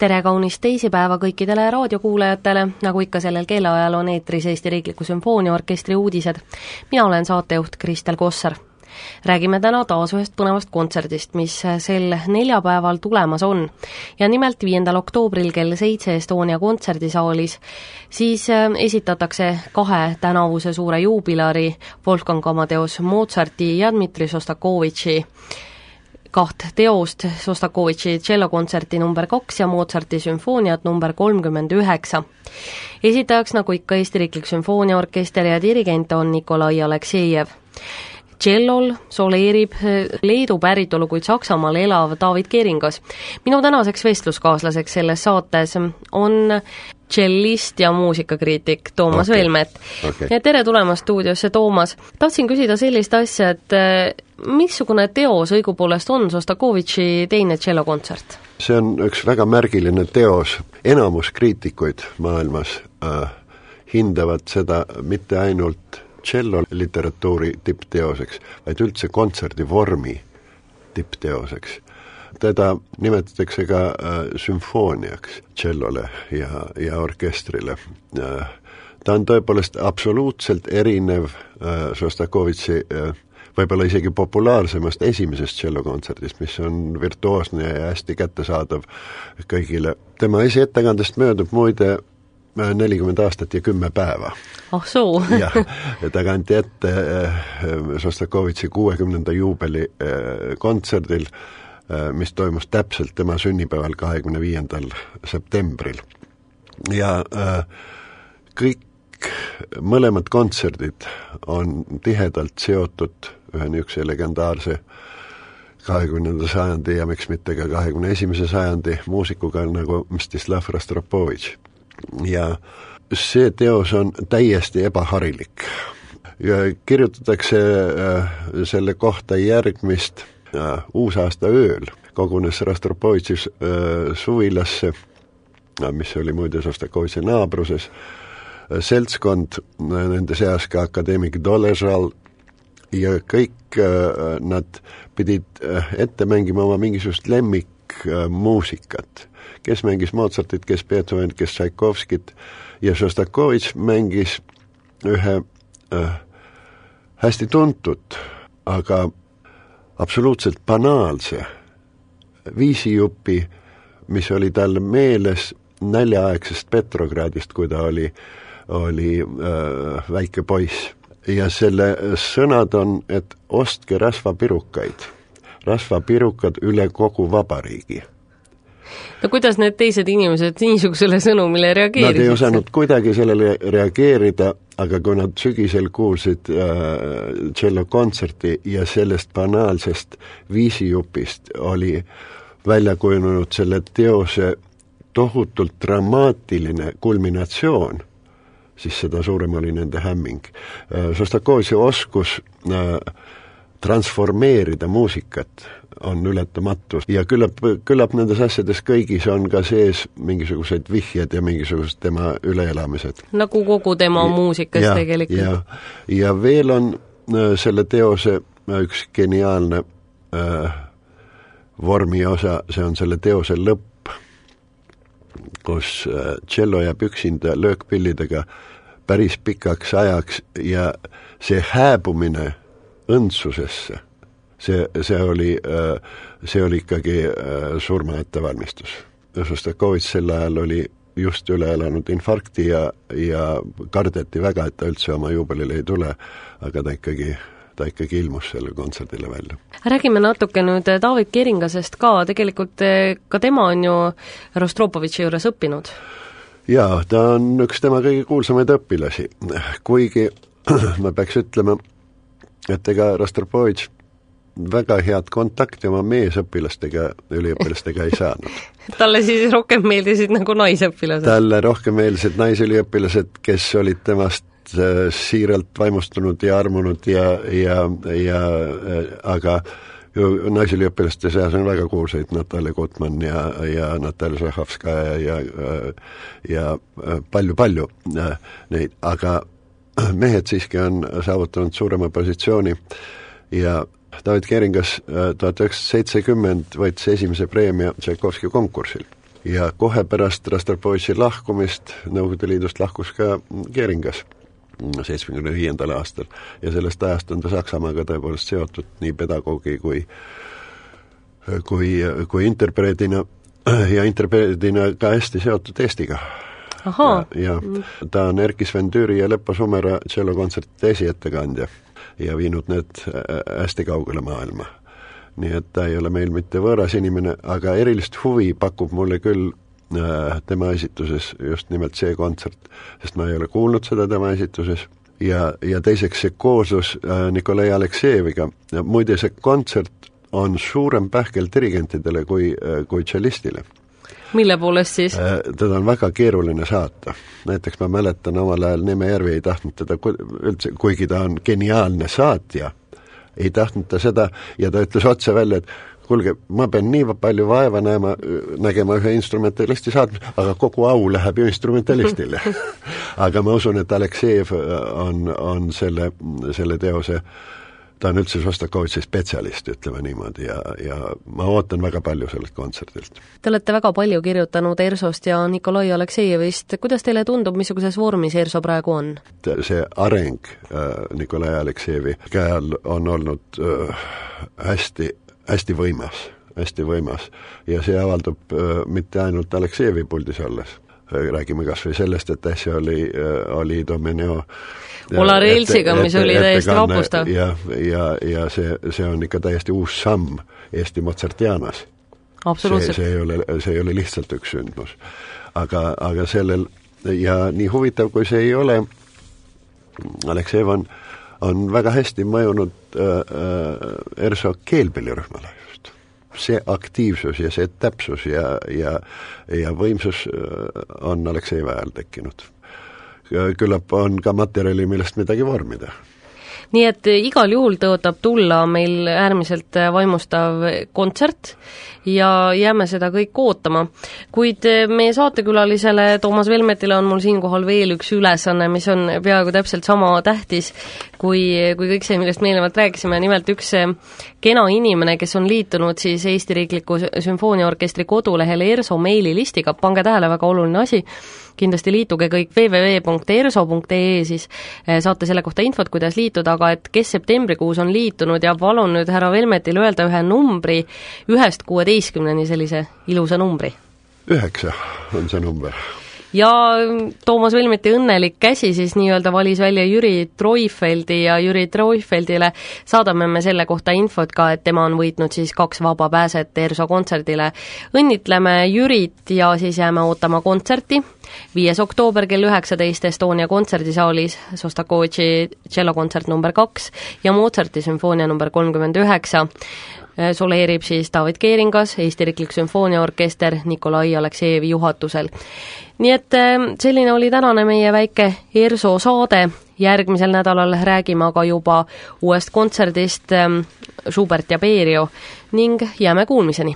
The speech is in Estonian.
Tere kaunist teisipäeva kõikidele raadiokuulajatele, nagu ikka sellel kellaajal on eetris Eesti Riikliku Sümfooniaorkestri uudised. Mina olen saatejuht Kristel Kossar. Räägime täna taas ühest põnevast kontserdist, mis sel neljapäeval tulemas on. Ja nimelt 5. oktoobril kell 7 Estonia kontserdisaalis siis esitatakse 2 tänavuse suure juubilari Wolfgang Amadeus Mozarti ja Dmitri Šostakovitši 2 teost, Šostakovitši tšellokontserti number 2 ja Mozarti sümfooniat number 39. Esitajaks nagu ikka Eesti Riiklik Sümfooniaorkester ja dirigent on Nikolai Aleksejev. Tšellol soleerib Leedu päritolu, kuid Saksamaal elav David Keringas. Minu tänaseks vestluskaaslaseks selles saates on tšellist ja muusikakriitik Toomas Velmet. Ja tere tulemast stuudiosse, Toomas. Tahtsin küsida sellist asja, et missugune teos õigupoolest on Šostakovitši teine tšellokontsert? See on üks väga märgiline teos. Enamus kriitikuid maailmas hindavad seda mitte ainult tšello literatuuri tippteoseks, vaid üldse kontserdivormi tippteoseks. Teda nimetatakse ka sümfooniaks tšellole ja orkestrile. Ta on tõepoolest absoluutselt erinev Šostakovitši võib-olla isegi populaarsemast esimesest tšellokontserdist, mis on virtuoosne ja hästi kättesaadav kõigile. Tema esiettekandest möödub muide 40 aastat ja 10 päeva. Oh soo! ja ta kanti ette Šostakovitši 60. juubeli kontserdil, mis toimus täpselt tema sünnipäeval 25. septembril. Ja kõik mõlemad kontserdid on tihedalt seotud ühe niisuguse legendaarse 20. sajandi ja miks mitte ka 21. sajandi muusikuga nagu Mstislav Rostropovitš. Ja see teos on täiesti ebaharilik. Ja kirjutatakse selle kohta järgmist uusaasta ööl. Kogunes Rostropovitši suvilasse, mis oli muide Šostakovitši naabruses, seltskond, nende seas ka akadeemik Doležal, ja kõik nad pidid ette mängima oma mingisugust lemmikmuusikat. Kes mängis Mozartit, kes Beethoven, kes Tšaikovskit, ja Šostakovitš mängis ühe hästi tuntud, aga absoluutselt banaalse viisijupi, mis oli tal meeles näljaaegsest Petrogradist, kui ta oli väike poiss. Ja selle sõnad on, et ostke rasvapirukaid. Rasvapirukad üle kogu vabariigi. No kuidas need teised inimesed niisugusele sõnumile reageerisid? Nad ei osanud kuidagi sellele reageerida, aga kui nad sügisel kuulsid tšellokontserti ja sellest banaalsest viisijupist oli välja kujunenud selle teose tohutult dramaatiline kulminatsioon, siis seda suurem oli nende hämming. Šostakovitši oskus transformeerida muusikat on ületamatu ja küllap nendes asjades kõigis on ka sees mingisugused vihjed ja mingisugused tema üleelamised. Nagu kogu tema muusikas tegelikult. Ja veel on selle teose üks geniaalne vormi osa, see on selle teose lõpp, kus tšello jääb üksinda löökpillidega päris pikaks ajaks ja see hääbumine õndsusesse, see oli ikkagi surma ettevalmistus. Šostakovitš sel ajal oli just üle elanud infarkti ja kardeti väga, et ta üldse oma juubelile ei tule, aga ta ikkagi ilmus selle kontserdile välja. Räägime natuke nüüd David Keringasest ka, tegelikult ka tema on ju Rostropovitši juures õppinud. Jaa, ta on üks tema kõige kuulsamaid õpilasi, kuigi ma peaks ütlema, et ega Rostropovitš väga head kontakti oma meesõpilastega, üliõpilastega ei saanud. Talle siis rohkem meeldisid nagu naisõpilased? Talle rohkem meeldisid naisüliõpilased, kes olid temast siiralt vaimustunud ja armunud aga naisüliõpilaste seas on väga kuulsaid Natalja Gutmann ja Natalja Žahovskaja ja palju neid, aga mehed siiski on saavutanud suurema positsiooni ja David Keringas 1970 võitis esimese preemia Tšaikovski konkursil ja kohe pärast Rostropovitši lahkumist Nõukogude Liidust lahkus ka Geringas 75. aastal ja sellest ajast on ta Saksamaaga tõepoolest seotud nii pedagoogi kui interpreedina ja interpreedina ka hästi seotud Eestiga. Ja ta on Erkki Sven Tüüri ja Leppo Sumera tšellokontsertide esiettekandja ja viinud need hästi kaugele maailma. Nii et ta ei ole meil mitte võõras inimene, aga erilist huvi pakub mulle küll tema esituses just nimelt see kontsert, sest ma ei ole kuulnud seda tema esituses ja teiseks see kooslus Nikolai Aleksejeviga. Muide, see kontsert on suurem pähkel dirigentidele kui tšellistile. Mille poolest siis? Teda on väga keeruline saata. Näiteks ma mäletan omal ajal Neeme Järvi ei tahtnud teda üldse, kuigi ta on geniaalne saatja, ei tahtnud ta seda ja ta ütles otse välja, et kuulge, ma pean nii palju vaeva nägema ühe instrumentalisti saatmis, aga kogu au läheb ju instrumentalistile. Aga ma usun, et Aleksejev on selle teose, ta on üldse Šostakovitši spetsialist, ütleme niimoodi, ja ma ootan väga palju sellelt kontserdilt. Te olete väga palju kirjutanud ERSO-st ja Nikolai Aleksejevist. Kuidas teile tundub, missuguses vormis ERSO praegu on? See areng Nikolai Aleksejevi käel on olnud hästi võimas ja see avaldub mitte ainult Aleksejevi puldis olles. Räägime kas või sellest, et äsja oli Domeneo Olar Elsiga, mis oli täiesti vapustav. Ja see on ikka täiesti uus samm Eesti Mozartianas. Absoluutselt. See ei ole lihtsalt üks sündmus. Aga sellel, ja nii huvitav kui see ei ole, Aleksejev on väga hästi mõjunud ERSO keelpillirühmale just. See aktiivsus ja see täpsus ja võimsus on Aleksejevi ajal tekkinud. Küllap on ka materjali, millest midagi vormida. Nii et igal juhul tõotab tulla meil äärmiselt vaimustav kontsert ja jääme seda kõik ootama. Kuid meie saatekülalisele Toomas Velmetile on mul siinkohal veel üks ülesanne, mis on peaaegu täpselt sama tähtis kui kõik see, millest me eelnevalt rääkisime, nimelt üks kena inimene, kes on liitunud siis Eesti Riikliku Sümfooniaorkestri kodulehel ERSO meililistiga, pange tähele, väga oluline asi, kindlasti liituge kõik www.erso.ee, siis saate selle kohta infot, kuidas liituda, aga et kes septembrikuus on liitunud ja palun nüüd härra Velmetil öelda ühe numbri 1-16, sellise ilusa numbri. 9 on see number. Ja Toomas Velmeti õnnelik käsi siis nii-öelda valis välja Jüri Treufeldi ja Jüri Treufeldile saadame me selle kohta infot ka, et tema on võitnud siis 2 vaba pääset ERSO kontserdile. Õnnitleme Jürit ja siis jääme ootama kontserti. 5. oktoober kell 19 Estonia kontserdisaalis Šostakovitši tšellokontsert number 2 ja Mozarti sümfoonia number 39. Soleerib siis David Keeringas, Eesti Riiklik Sümfooniaorkester Nikolai Aleksejevi juhatusel. Nii et selline oli tänane meie väike ERSO saade. Järgmisel nädalal räägime aga juba uuest kontserdist Schubert ja Berio ning jääme kuulmiseni.